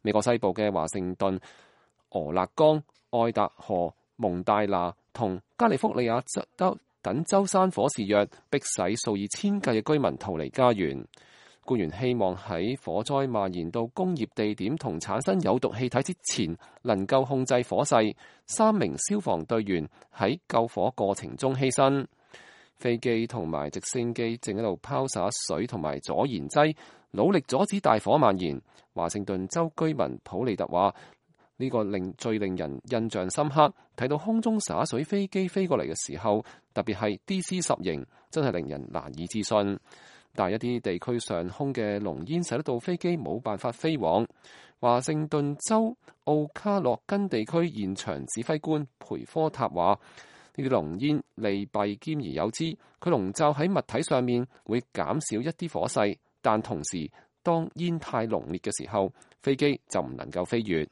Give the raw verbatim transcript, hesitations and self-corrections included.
美國西部嘅華盛頓、俄勒岡、愛達荷、蒙大拿同加利福尼亞州等州山火肆虐，迫使數以千計嘅居民逃離家園。官員希望喺火災蔓延到工業地點同產生有毒氣體之前，能夠控制火勢。三名消防隊員喺救火過程中犧牲。飛機同埋直升機正喺度拋灑水同埋阻燃劑，努力阻止大火蔓延。華盛頓州居民普利特話：呢個令最令人印象深刻，睇到空中灑水飛機飛過嚟嘅時候，特別係 D C 十型，真係令人難以置信。但係一啲地區上空嘅濃煙使得到飛機冇辦法飛往。華盛頓州奧卡洛根地區現場指揮官培科塔話：呢啲濃煙利弊兼而有之，佢籠罩喺物體上面會減少一啲火勢，但同時當煙太濃烈嘅時候，飛機就唔能夠飛越。